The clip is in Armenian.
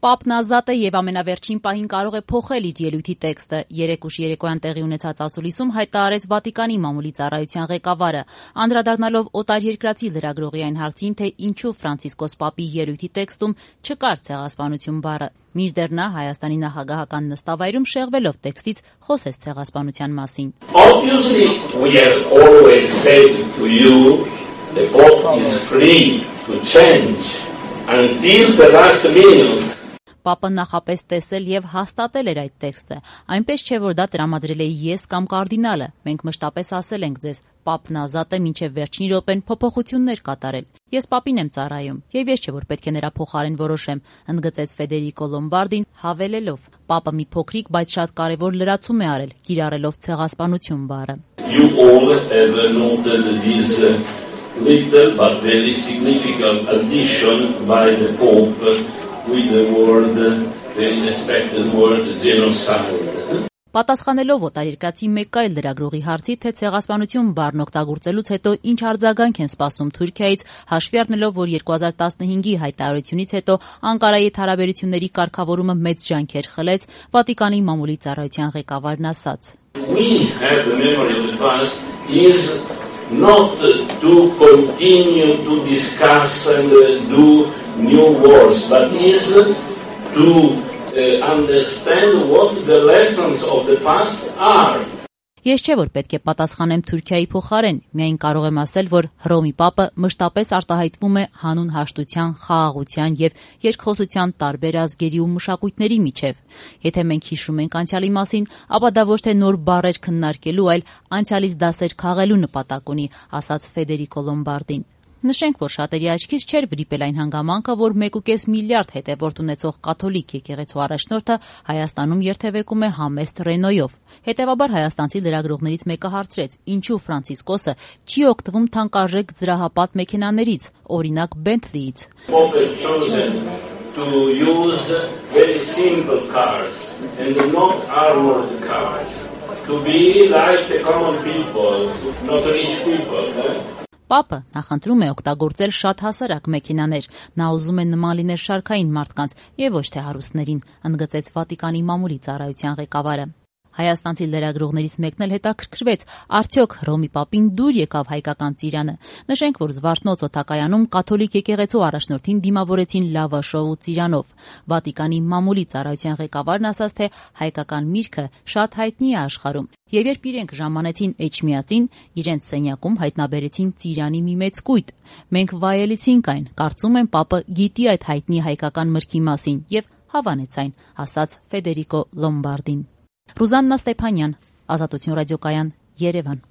Պապն ազատ է եւ ամենավերջին պահին կարող է փոխել իր ելույթի տեքստը։ Երեկուշ երեկոյան տեղի ունեցած ասուլիսում հայտարարեց Վատիկանի մամուլի ծառայության ղեկավարը, անդրադառնալով օտարերկրացի լրագրողի այն հարցին, թե ինչու Ֆրանցիսկոս Պապի ելույթի տեքստում չկար ցեղասպանություն բառը։ Մինչդեռ նա Հայաստանի նախագահական նստավայրում շեղվելով տեքստից խոսեց ցեղասպանության մասին։ Obviously, we have always said to you, the Pope is free to change until the last minute. Պապը նախապես տեսել եւ հաստատել էր այդ տեքստը, այնպես չէ, որ դա տրամադրել էի ես կամ կարդինալը, մենք մշտապես ասել ենք ձեզ, Պապն ազատ է մինչեւ վերջին րոպեն փոփոխություններ կատարել, ես Պապին եմ ծառայում, եւ ես չէ, որ պետք է նրա փոխարեն որոշեմ, ընդգծեց Ֆեդերիկո Լոմբարդին, հավելելով, Պապը մի փոքրիկ, բայց շատ կարեւոր լրացում է արել, կիրառելով ցեղասպանություն բառը։ You all have noted this little but very significant addition by the Pope with the word, very respected word, genocide. Պատասխանելով օտարերկրացի մեկ այլ լրագրողի հարցի, թե ցեղասպանություն բառն օգտագործելուց հետո ինչ արձագանք են սպասում Թուրքիայից, հաշվի առնելով, որ 2015-ի հայտարարությունից հետո Անկարայի հարաբերությունների կարգավորումը մեծ ջանքեր խլեց, Վատիկանի մամուլի ծառայության ղեկավարն ասաց. We have the memory of the past is not to continue to discuss and do new wars, but is to understand what the lessons of the past are. Ես չէ, որ պետք է պատասխանեմ Թուրքիայի փոխարեն, միայն կարող եմ ասել, որ Հռոմի Պապը մշտապես արտահայտվում է հանուն հաշտության, խաղաղության եւ երկխոսության տարբեր ազգերի ու մշակույթների միջև։ Եթե մենք հիշում ենք անցյալի մասին, ապա դա ոչ թե նոր բառեր քննարկելու, այլ անցյալից դասեր քաղելու նպատակ ունի, ասաց Ֆեդերիկո Լոմբարդին։ Նշենք, որ շատերի աչքից չէր վրիպել այն հանգամանքը, որ 1.5 միլիարդ հետևորդ ունեցող կաթոլիկ եկեղեցու առաջնորդը Հայաստանում երթևեկում է համեստ Ռենոյով։ Հետևաբար հայաստանցի լրագրողներից մեկը հարցրեց, ինչու Ֆրանցիսկոսը չի օգտվում թանկարժեք զրահապատ մեքենաներից, օրինակ Bentley-ից։ To use very simple cars and not armored cars. To be like the common people, not rich people. Պապը նախընտրում է օգտագործել շատ հասարակ մեքենաներ, նա ուզում է նման լինել շարքային մարդկանց եւ ոչ թե հարուստներին, ընդգծեց Վատիկանի մամուլի ծառայության ղեկավարը։ Հայաստանցի լրագրողներից մեկն էլ հետաքրքրվեց, արդյոք Հռոմի Պապին դուր եկավ հայկական ծիրանը։ Նշենք, որ Զվարթնոց օդակայանում կաթոլիկ եկեղեցու առաջնորդին դիմավորեցին լավաշով ու ծիրանով։ Վատիկանի մամուլի ծառայության ղեկավարն ասաց, թե հայկական միրգը շատ հայտնի է աշխարհում։ Եվ երբ իրենք ժամանեցին Էջմիածին, իրենց սենյակում հայտնաբերեցին ծիրանի մի մեծ կույտ։ Մենք վայելեցինք այն, կարծում եմ Պապը գիտի այդ հայտնի հայկական մրգի մասին եւ հավանեց այն, ասաց Ֆեդերիկո Լոմբարդին։ Ռուզաննա Ստեփանյան, Ազատություն ռադիոկայան, Երևան։